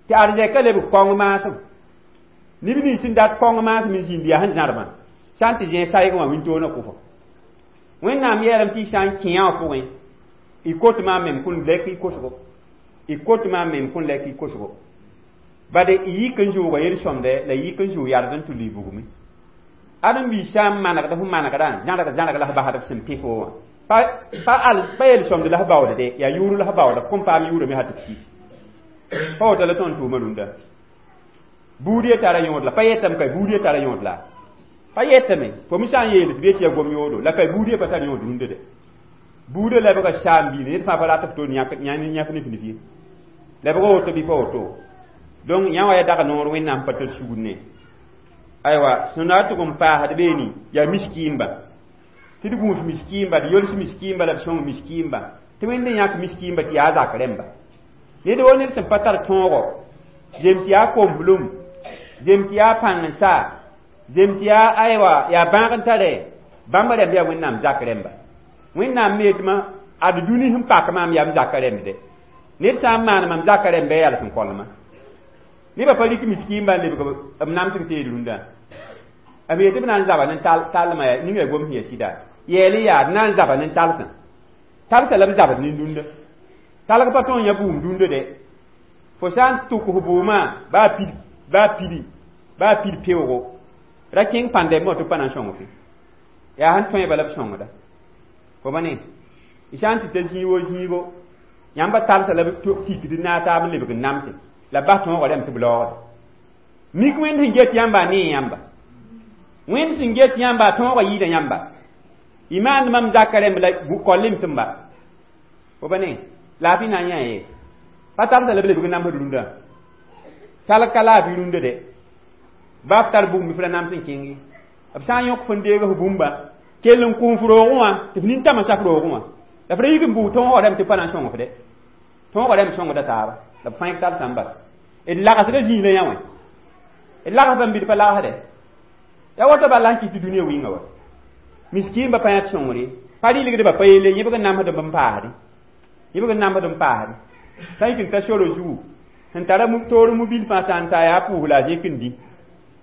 Tɩ arzɛka lebg kõng maasem. Neb nins sẽn dat kõng maasem n zĩnd yaa sẽn zãrbã sã n tɩ zẽeg saygẽ wã wĩntoog na kʋfo. Wẽnnaam yeelame tɩ y sã n kẽ wã pʋgẽ y kot maam mem kõn lɛk y kosgo y kot maam mem kõn lɛk y kosgo bade y yik n zʋʋga yel-sõmdɛ la y yik n zʋʋg yard n tʋ lʋɩ bugmẽ ãdem-biis sã n manegd f manegdã zãrg zãrg la f basd f sẽn pẽ fo wã pa pa al pa yel-sõmd la f baood de yaa yʋʋr la f baooda f kõn paam yʋʋrame sã tɩ f ki pa woto la tõnd tʋʋma rũndã buud ye tara yõod la pa yetame ka buud ye tara yõod la pa yetame fo me sã n yeel tɩ b yet yaa gom yoodo la ka buud ye pa tar yõod rũndã de buudã lebga saam-biil ned fãa pa rat f to yãk nif nif ye lebga woto bɩ pa woto donc yã wã yaa dag noor wẽnnaam pa tar sugr ne aywa sẽn na tʋg n paasd beene yaa miskiimba tɩ d gũus miskiimba d yols miskiimba la b sõng miskiimba tɩ wẽnd n yãk miskiimba tɩ yaa zak rẽmba ned wo ned sẽn pa tar tõogo zem tɩ yaa komblum zem tɩ yaa pãng n sa zem tɩ yaa aywa yaa bãag n tare bãmba rẽmb yaa wẽnnaam zak rẽmba wẽnnaam me yetɩma ad dũni sẽn pak maam yaa m zaka rẽmb de ned sã n maan mam zaka rẽmb yaa yals n kolma nebã pa rɩk miskiimba n lebg b namsg teed rũndã b yetɩ b na n zaba ne tallmã ning yaa gom sẽn yaa sɩda yɛɛl n yaa d na n zaba ne talsã talsã la b zabd ne rũndã talg pa tõe n yã bʋʋm dũndã de fo sã n tʋk f bʋʋmã baa pid baa pidi baa pid peoogo ra kẽng pãndɛmb wã tɩ pa na n sõng fe yaa sẽn tõe bala b sõngda fo ba ne y sã n tɩ ta zĩig wo zĩigo yãmba talsã la b tikd naag taab n lebg n namse la b bas tõogã rẽmb tɩ b laoogda mik wẽnd sẽn get yãmba a nee yãmba wẽnd sẽn get yãmba a tõogã yɩɩda yãmba y maand mam zaka rẽmb la kollem tɩ m ba fo ba ne laafɩ na n yã ye pa talsã la b lebg n namsd rũndã talg ka laafɩ rũndã de ba f tar bugum f ra nams n kẽnge b sã n yõk fõn deeg f bũmba kell n kũum f roogẽ wã tɩ f nintãmã sa f roogẽ wã la f ra yik n bʋʋg tõogã rẽmb tɩ pa na n sõng f de tõogã rẽmb sõngda taaba la b fãa talsã n bas d lagsda zĩig la yã wã d lags bãmb bɩ d pa lagsde ya woto bala n kɩt tɩ dũniyã wĩnga wa miskiimba pa yãt sõngre pa rɩlgdba pa yelle yẽbg n namsd n paasde yẽbg n namsd n paasde sã n yik n ta soro zugu sẽn tara toor mobil fãa sã n ta yaa pʋʋs la a zẽk n dĩ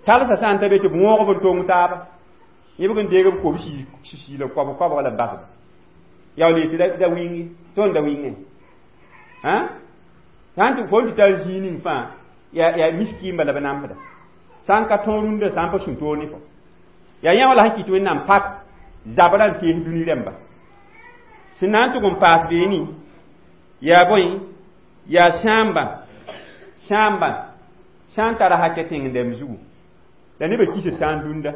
talsã sã n ta be tɩ b wõogb n tong taaba yẽbg n deeg b kob siila koab koabg la b basba yaool yetɩ da wĩnge tõnd da wĩngẽ sã n tɩ fo n tɩ tar zĩig ning fãa yaa yaa miskiimba la b namsda sã n ka tõog rũndã sã n pa sũ toor ne fo yaa yã wã la sẽn kɩt wẽnnaam pak zabra n tees dũni rẽmba sẽn na n tʋg n paas beene yaa bõe yaa sãamba sãamba sã n tara hakɛ tẽng-dɛmb zugu la nebã kisa sãan dũnda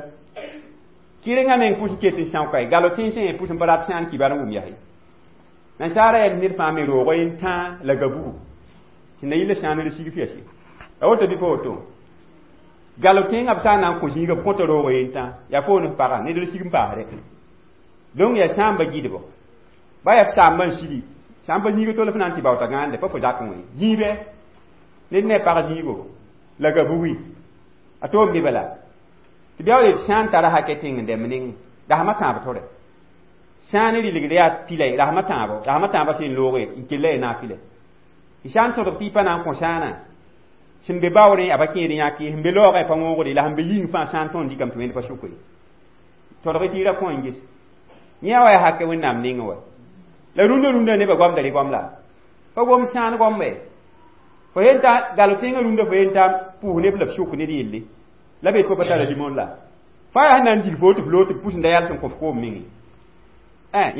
kɩrengã meng pʋs n ket n sãoka ye galo tẽnsẽ yẽ pʋs n pa rat sãan kibar n wʋm yaa ye nansaara yɛm ned fãa me roog n tãa la gabugu sẽn na yɩl la sãan r sig f yaa a woto bɩ pa woto galo tẽngã b sã n na n kõ zĩiga b kõta roog yen tã yaa foon f pagã ned r sig n paasdɛ donc yaa sãamba gɩdbo ba yaa f saamba n sigi sã n pa zĩiga tol f na n tɩ baoota gãande pa fo zak n wẽ zĩibɛ ned ne a pag zĩigo la gabugi a toom me bala tɩ bɩ yet sã n tara hakɛ tẽng n dɛmb nengẽ rasmã tãab tʋre sã n rɩlgd yaa pila rasmã tãabo rasmã tãabã sẽn looge n kella ya naag pila y sã n tõdg tɩ y pa na n kõ sãanã sẽn be baoorẽ a pa kẽed yãk ye sẽn be laoogẽ pa wõogde la sẽn be yĩng fãa sã n tõnd dɩkame tɩ wẽnd pa sʋk ye tõdg tɩ y ra kõ n ges yẽ wa yaa hakɛ wẽnnaam nengẽ wa la rũndã rũndã nebã goamda rɩ goam la pa gom sãan goambe fo yen ta galo tẽngã rũndã fo yen ta pʋʋs neb la b sʋk ned yelle la be tɩ fo pa tara limon la fa yaa sẽn na n dig fo tɩ f loog tɩ b pʋs n da yals n kõ f koom menge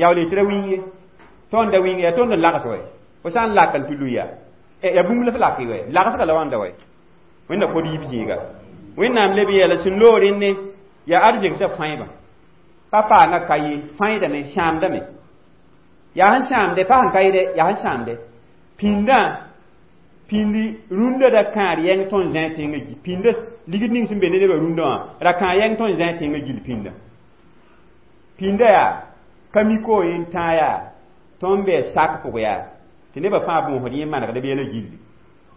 yaool tɩ ra wĩng ye tõnd da wĩng yaa tõnd n lags wɛ fo sã n lak n tɩ lʋ yaa yaa bũmb la f lak wɛ lagsga la wãnda wɛ wẽnda kod yiib zĩiga wẽnnaam leb yeela sẽn loog rẽnne yaa arzegsã fãebã pa paanga ka ye fãeedame sãamdame yaa sẽn sãamde pa sẽn ka ye dɛ yaa sẽn sãamde pĩndã pĩndi rũndã ra kãad yɛng tõnd zãe tẽngã gi pĩndã ligd ning sẽn be ne nebã rũndã wã ra kãad yɛng tõnd zãe tẽngã gill pĩndã pĩndã yaa ka miko yen tãa yaa tõnd be sak pʋg yaa tɩ nebã fãa bõosd yẽ manegd b yɛla gilli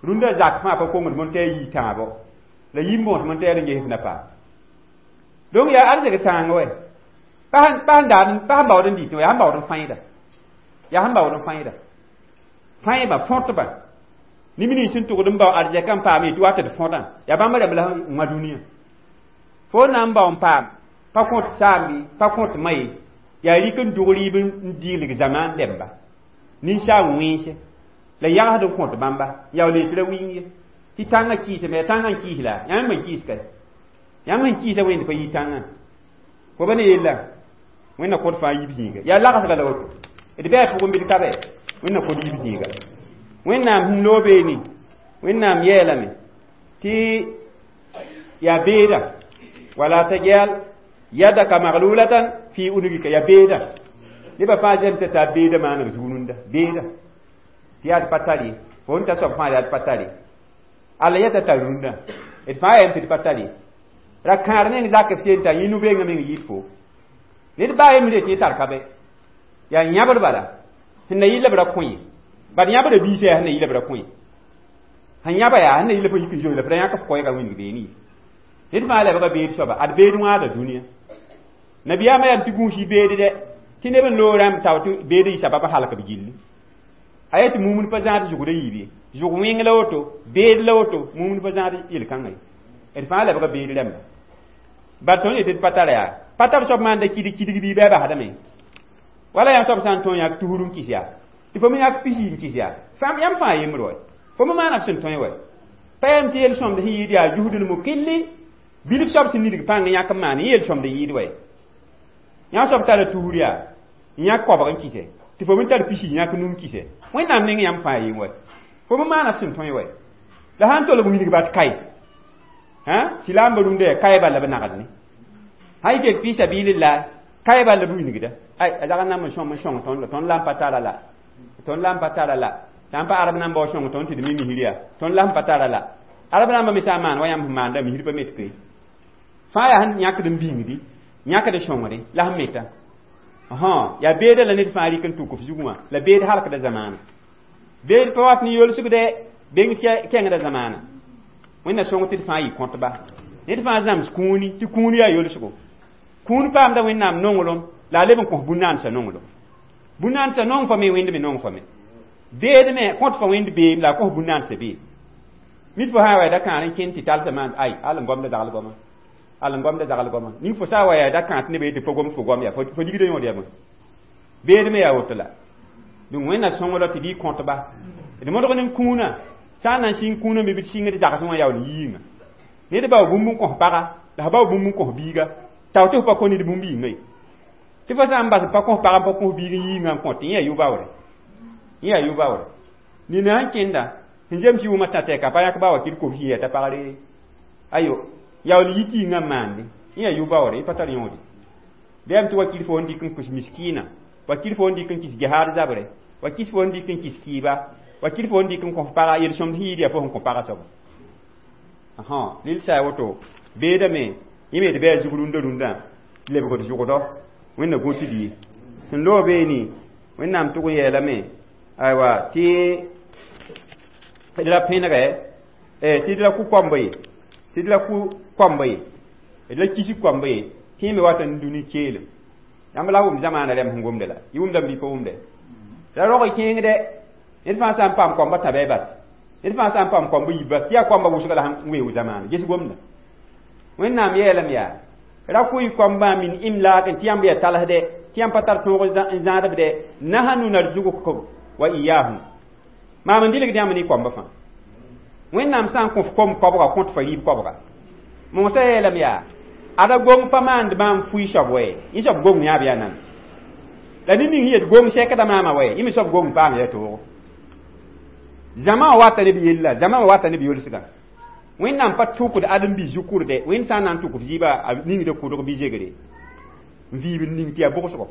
rũndã zak fãa pa kongd mõnd tɩ a yii tãabo la yim bõos mõnd tɩ yaa n ges na paam donc yaa arzeg sãang wɛ pa sẽn daad pa sẽn baood n dɩtẽ wã yaa sẽn baood n fãeeda yaa sẽn baood n fãeeda fãeba fõtba neb nins sẽn tʋgd n bao arzɛka n paam tɩ wa tɩ d fõdã yaa bãmb rẽmb la sẽn wã dũniyã fo na n bao n paam pa kõt saambi pa kõt ma ye Yaa rɩk n dog rɩɩb n dɩgleg zamaan dɛmba ninsaam wẽnse la yagsd n kõt bãmba yaool yetɩ ra wĩng ye tɩ tãngã kɩɩsame yaa tãngã n kɩɩs la yãmb n kɩɩs kae yãmb sẽn kɩɩsa wẽnd pa yɩ tãngã fo ba ne yella wẽnna kõt fãa yib zĩiga yaa lagsga la woto d bɩ a pʋgẽ bɩ d ka bɛ wẽnna kõt yib zĩiga wẽnnaam sẽn loog beene wẽnnaam yeelame tɩ yaa beeda wala tajal yadaka maglulatan fi unugika yaa beeda nebã fãa zemsa t'a beeda maaneg zug rũndã beeda tɩ yaa d pa tar ye fo n ta soab fãa yaa d pa tar ye alla yeta tar rũndã d fãa yam tɩ d pa tar ye ra kãar neng zak f seen t'a yẽ nu-bengã meng yɩɩd fo ned baa yem re tɩ tar ka bɛ yaa yãbr bala sẽn na yɩ la b ra kõ ye bad yãbra biisã yaa sẽn na yɩ la b ra kõ ye sẽn yãba yaa sẽn na yɩ la fo yik n zoe la f ra yãk f koɛɛgã wĩndg beene ye ned fãa lebga beed soaba ad beed wãada dũniyã nabiyaamã yam tɩ gũus y beed dɛ tɩ neb n loog rãmb tao tɩ beed yɩ sabab halk b gilli a yaa tɩ mumd pa zãad zʋgd a yiib ye zʋg wẽng la woto beed la woto mumd pa zãad yel-kãngã ye d fãa lebga beed rãmba bad tõnd yetɩ d pa tara yaa pa tar soab maanda kidg kidg bɩ bɩ a basdame wala yãmb soab sã n tõe yãk tusr n kɩs yaa tɩ fo me yãk pisi n kɩs yaa yãmb fãa yembr wa fo me maana f sẽn tõe wa pa yam tɩ yel-sõmd sẽn yɩɩd yaa jusdl mukilli bilf soab sẽn nidg pãng yãk n maan yel-sõmd yɩɩd wa yãmb soab tara tusr yaa n yãk koabg n kɩsɛ tɩ fo me tar pisi yãk num kɩsɛ wẽnnaam neng yãmb fãa yem wa fo me maana f sẽn tõe wa la sãn tolg wilg bat kae silaambã rũndã yaa kae bala b nagd ne sã y ket fi sabilillah kae bala b wilgda ay a zag n nam n sõm n sõng tõnd la tõnd la n pa tara la tõnd la n pa tara la sã n pa arab namba wa sõng tõnd tɩ d mi misr yaa tõnd la sẽn pa tara la arab namba me sã n maan wa yãmb sẽn maanda misr pa met koe fãa yaa sẽn yãkd n bĩngdi yãkd sõngre la sẽn meta yaa beeda la ned fãa rɩk n tʋk f zugẽ wã la beed halkda zamaana beed pa wat ne yolsgdɛ beng kẽngda zamaana wẽnna sõng tɩ d fãa yɩ kõtba ned fãa zãms kũuni tɩ kũun yaa yolsgo kũun paamda wẽnnaam nonglem la a leb n kõs bũn-naansã nonglem bũn-naansã nong fa me wẽnd me nong fa me beed me kõt fa wẽnd beem la a kõs bũn-naansã beem mit fo sã wa da kãar n kẽnd tɩ talsã maan ay al n gomda zagl goama al n gomda zagl goama ning fo sã wa yaa da kãat nebã yetɩ fo gom fo gom yaa fo ligda yõod yaa bõe beed me yaa woto la donc wẽnna sõngda tɩ bɩ kõtba d modg ne kũunã sã n na n sĩng kũunã me bɩ d sɩngd zagsẽ wã yaool yiinga ned bao bũmb n kõs paga la f bao bũmb n kõs biiga tao tɩ f pa kõ ned bũmb yĩnga ye tɩ fo sã n bas pa kõs paga n pa kõs biig n yiingã n kõt yẽ yaa yʋ-baoore yẽ yaa yʋ-baoore nina sẽn kẽnda sẽn zems yʋʋmã tã tɛka pa yãk ba wa kɩd kobs yẽ yaa t'a pagre ayo yaool yit yĩngã n maande yẽ yaa yʋ-baoore yẽ pa tar yõode bɩ yam tɩ wakir fo n dɩk n kɩs miskiina wakir fo n dɩk n kɩs gehaad zabre wakir fo n dɩk n kɩs kɩɩba wakir fo n dɩk n kõs paga yel-sõmd sẽn yɩɩd yaa fo sẽn kõ paga soaba lil sã woto beedame yẽ me d bɩ a zug rũndã rũndã lebgd zʋgdɔ wẽnna gõ tɩ d ye sẽn loog beene wẽnnaam tʋg n yeelame aywa tɩ d ra pẽnegɛ tɩ d ra kʋ koamba ye tɩ d ra kʋ koamba ye d ra kis koamba ye tɩ yẽ me wat n dũni keelem yãmb la wʋm zamaana rɛm sẽn gomde la y wʋmdame bɩ pa wʋmde ra rog kẽengdɛ ned fãa sã n paam koamba tãbɛ bas ned fãa sã n paam koamba yib bas tɩ yaa koamba wʋsga la sẽn weoog zamaana ges gomda wẽnnaam yeelame yaa ra kʋ-y koambã min imlaak tɩ yãmb yaa talsdɛ tɩ yãmb pa tar tõog n zãadb dɛ nahnu narzugukum wa iyahum maam n dɩlgd yãmb ne koamba fãa wẽnnaam sã n kõf kom koabga kõt fa rɩɩb koabga mosã yeelame yaa ada gong pa maand maam fʋɩ soab wɛ yẽ soab gong yãab yaa nan la ned ning yet gong sɛkda maama wɛ yẽ me soab gong paam yaa toogo zãma wã wata ne b yella zãma wã wata ne b yolsgã wẽnnaam pa tʋkd ãdem-biis zu-kʋrdɛ wẽnd sã n na n tʋk f zɩɩba a ningda kʋdg bɩ zegre n viib n ning tɩ yaa bʋgsgo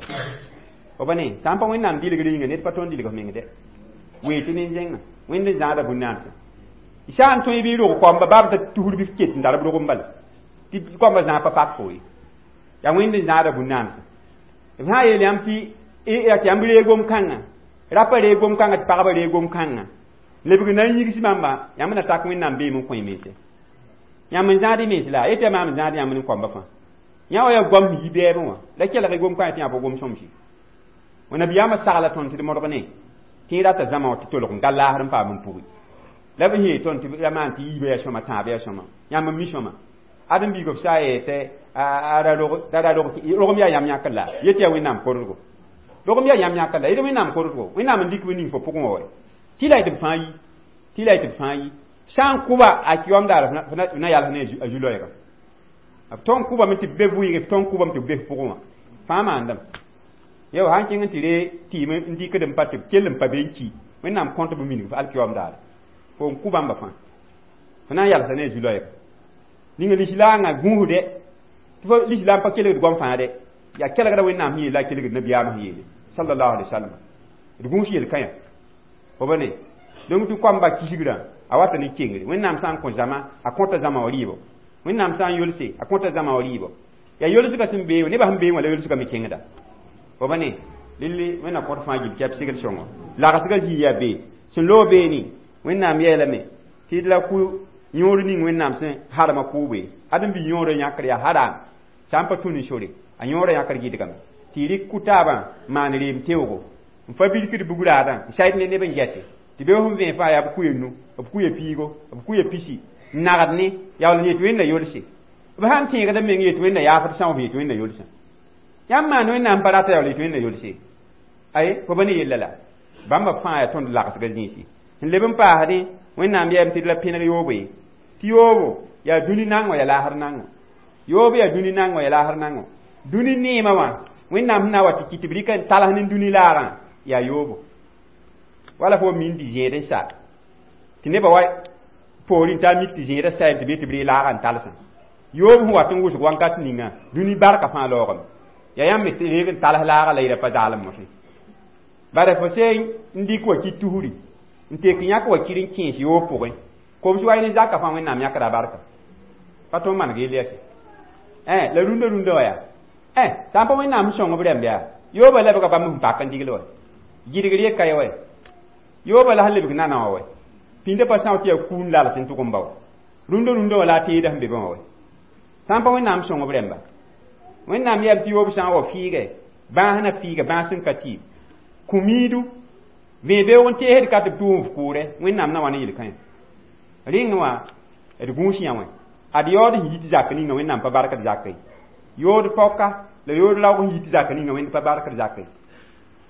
fo pa ne sã n pa wẽnnaam dɩlgr yĩnga ned pa tõnd dɩlg f meng dɛ wee tɩ nin-zẽngã wẽnd n zãada bũn-naansã sã n tõe bɩ rog koamba baab t'a tusr bɩ f ket n tar b rog n bala tɩ koamba zãag pa pak fo ye yaa wẽnd n zãada bũn-naansã b sã n yeel yãmb tɩ tɩ yãmb reeg gom-kãngã rapa reeg gom-kãngã tɩ pagba reeg gom-kãngã lebg na n yigs bãmba yãmb na tak wẽnnaam beem n kõ y mense yãmb n zãad y mens la yetɩ yaa maam n zãad yãmb ne koamba fãa yã wa yaa goam sẽn yi bɛɛbẽ wã la kelg gom-kãngã tɩ yã pa gom sõmsi nabiyaamã sagla tõnd tɩ d modg ne tɩ y rata zãma wã tɩ tolg n ga laasr n paam n pugi la b yee tõnd tɩ ra maan tɩ yiibã yaa sõma tãabã yaa sõma yãmb n mi sõma Adem biig b sã n yetɩ a ra rogem yaa yãmb yãkr la yet yaa Wẽnnaam korgo rogem yaa yãmb yãkr la yet Wẽnnaam korgo Wẽnnaam n dɩk b ning fo pʋgẽ wa tɩ la yetɩ b fãa yi tɩ la yetɩ b fãa yi sã n kʋba a kiyom daar f na yals ne a zu-loɛɛga b tõnd kʋbame tɩ b be vɩɩge b tõnd kʋbame tɩ b be f pʋgẽ wã fãa maandame yo sãn kẽng n tɩ ree tɩɩm n dɩkd n pa tɩ b kell n pa be n ki Wẽnnaam kõt b minig alkiyom daare fo n kʋ bãmba fãa fo na n yalsa ne a zu-loɛɛga ninga lislaangã gũusde tɩ fo lislaam pa kelgd goam fãa de yaa kelgda Wẽnnaam sẽn yeele la a kelgd nabiyaamã sẽn yeele sallallahu alaihi wasallam d gũus yel-kãyã fo ba ne donc tɩ koamba kisgrã a wata ne kengre Wẽnnaam sã n kõ zãma a kõta zãma wã rɩɩbo Wẽnnaam sã n yolse a kõta zãma wã rɩɩbo yaa yolsgã sẽn bee nebã sẽn bee wã la yolsgã me kẽngda fo ba ne lilli Wẽnnaam kõt fãa gil tɩ b segd sõngo lagsgã zĩig yaa bee sẽn loog beene Wẽnnaam yeelame tɩ d la kʋ yõor ning Wẽnnaam sẽn harma kʋʋbe ãdem-bi yõorã yãkr yaa haram sã n pa tũ ne sore a yõorã yãkr gɩdgame tɩ y rɩk kʋ-taabã maan reem teoogo n fa bilkd bugraadã n sayd ne neb n gɛte tɩ be sẽn vẽe fãa yaa b kuya nu b kuya piigo b kuya pisi n nagd ne yaool n yet Wẽnna yolse b sãn tẽegd meng yet Wẽnna yaafd sã f yet Wẽnna yolsã yãmb maan Wẽnnaam pa rata yaool yet Wẽnna yolse ay fo ba ne yella la bãmba fãa yaa tõnd lagsga zĩisi sẽn leb n paasdẽ Wẽnnaam yeelame tɩ d la pẽneg yoobo ye tɩ yoobo yaa dũni nango yaa laasr nango yoobo yaa dũni nango yaa laasr nango dũni neemã wã Wẽnnaam sẽn na n wa tɩ kɩt tɩ b rɩk n tals ne dũni laagã yaa yoobo wala fo min tɩ zẽed n sa tɩ nebã wa poorẽ t'a mik tɩ zẽedã sayame tɩ be tɩ b ree laagã n talsã yoob sẽn wat n wʋsg wãnkat ninga dũni barka fãa laoogame yaa yãmb me reeg n tals laaga la yɩra pa zaalem mosẽ bara fo se n dɩk wa ki tusri n tek yãk wa kir n kẽes yoob pʋgẽ kobs wa ne zaka fãa Wẽnnaam yãkda a barka pa tõnd maneg yell yɛse la rũndã rũndã wa yaa sã n pa Wẽnnaam sẽn sõng b rãmb yaa yoobã lebga bãmb sẽn pak n digl wa gɩdgr ye ka ye wa yoobã la sẽn lebg nana wã wa pĩndã pa são tɩ yaa kũun lals n tʋg n ba wa rũndã rũndã wã la a teedã sẽn be bã wã wa sã n pa Wẽnnaam sõng b rãmba Wẽnnaam yeelame tɩ yoob sã n wa fɩɩgɛ bãas na fɩɩga bãas sẽn ka tɩɩm kũ-miidu vẽe beoog n teesd ka tɩ b tʋʋm f kʋʋrɛ Wẽnnaam na wa ne yel-kãyã rẽng wã d gũus yã wã ad yaood sẽn yit zak ninga Wẽnnaam pa barkd zak ye yood paoka la yood raoog sẽn yit zak ninga Wẽnd pa barkd zak ye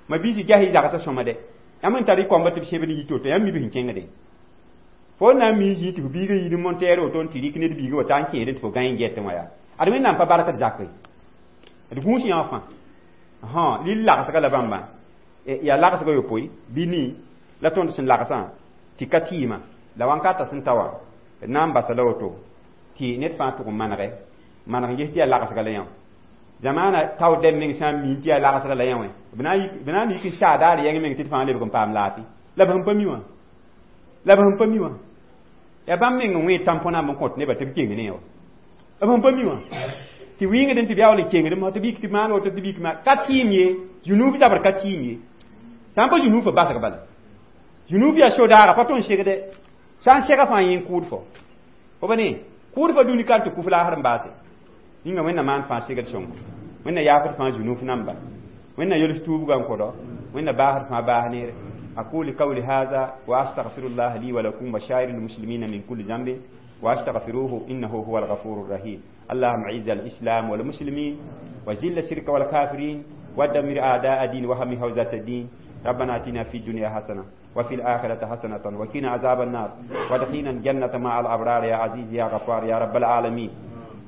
ma biisi ges y zagsã sõma dɛ yãmb n tar y koamba tɩ b sẽbd n yit woto yãmb mi b sẽn kẽngde fo na n mi zĩ tɩ f biigã yid n montɛɛr woto n tɩ rɩk ned biigã wa taa n kẽedẽ tɩ fo gã n gɛtẽ wã yaa ad Wẽnnaam pa barkd zak ye d gũus yã wã fãa lill lagsga la bãmba yaa lagsga yopoe bɩ nii la tõnd sẽn lagsã tɩ ka tɩɩmã la wãnkata sẽn ta wã d na n basa la woto tɩ ned fãa tʋg n manege maneg n ges tɩ yaa lagsga la yã zamaana tao dɛm meng sã n mi tɩ yaa lagsga la yã wã b na n yik n saa daar yɛng meng tɩ d fãa lebg n paam laafɩ la b sẽn pa mi wã la b sẽn pa mi wã yaa bãmb meng n wẽed tãmpõ-namba n kõt nebã tɩ b keng ne wã b sẽn pa mi wã tɩ wɩngdẽ tɩ b yaool n kengdem tɩ b yik tɩ maan woto tɩ b yik maan ka tɩɩm ye zunub zabr ka tɩɩm ye sã n pa zunub fo basg bala zunub yaa so-daaga pa tõnd segde sã n sega fãa yẽ n kʋʋd fo fo ba ne kʋʋd fa dũni kan tɩ kuf laasr n baase ninga Wẽnna maan fãa segd sõngo Wẽnna yaafd fãa zunuf namba Wẽnna yols tuubgã n kõdo Wẽnna baasd fãa baas neere أقول قولي هذا وأستغفر الله لي ولكم وسائر المسلمين من كل ذنب وأستغفروه إنه هو الغفور الرحيم اللهم أعز الإسلام والمسلمين وذل الشرك والكافرين ودمر أعداء الدين واحم حوزة الدين ربنا آتنا في الدنيا حسنة وفي الآخرة حسنة وقنا عذاب النار وادخلنا الجنة مع الأبرار يا عزيز يا غفار يا رب العالمين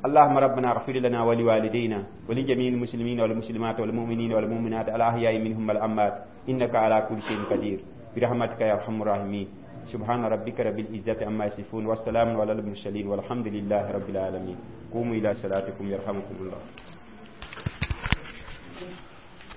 اللهم ربنا اغفر لنا ولوالدينا ولجميع المسلمين والمسلمات والمؤمنين والمؤمنات الأحياء منهم والأموات إنك على كل شيء قدير برحمتك يا أرحم الراحمين سبحان ربك رب العزة عما يصفون والسلام على المرسلين والحمد لله رب العالمين قوموا إلى صلاتكم يرحمكم الله.